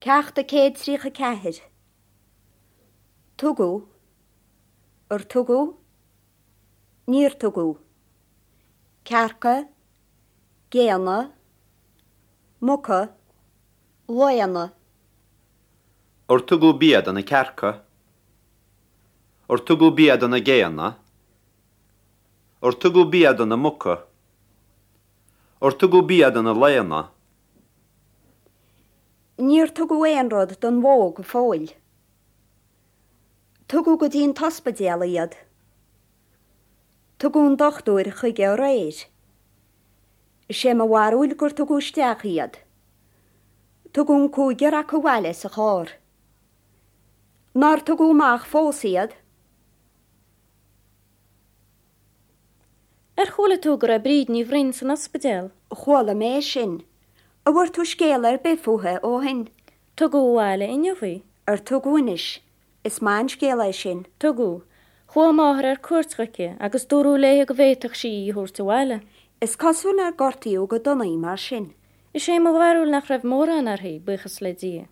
Ceacht 134. Tugadh. Ar tugadh? Níor tugadh. Cearca. Géanna. Muca. Laonna. Ar tugadh bia do na cearca? Ar tugadh bia do na géanna? Ar tugadh bia do na muca? Ar tugadh bia do na laonna? Níor tugadh aon rud don bhó go fóill. Tugadh go dtí an t-ospidéal iad. Tugadh an dochtúir chuige aréir. Is é mo bharúil gur tugadh isteach iad. Tugadh an cúigear acu abhaile sa charr. Nár tugadh amach fós iad? Ar chuala tú go raibh Bríd Ní Bhroin san ospidéal? Chuala mé é sin. An bhfuair tú scéala ar bith fúithi ó shin? Tugadh abhaile inniu í. Ar tugadh anois? Is maith an scéal é sin. Tugadh. Chuaigh a máthair ar cuairt chuici agus dúradh léi go bhféadfadh sí í a thabhairt abhaile. Is cosúil nár gortaíodh go dona í mar sin. Is é mo bharúil nach raibh mórán uirthi, buíochas le Dia.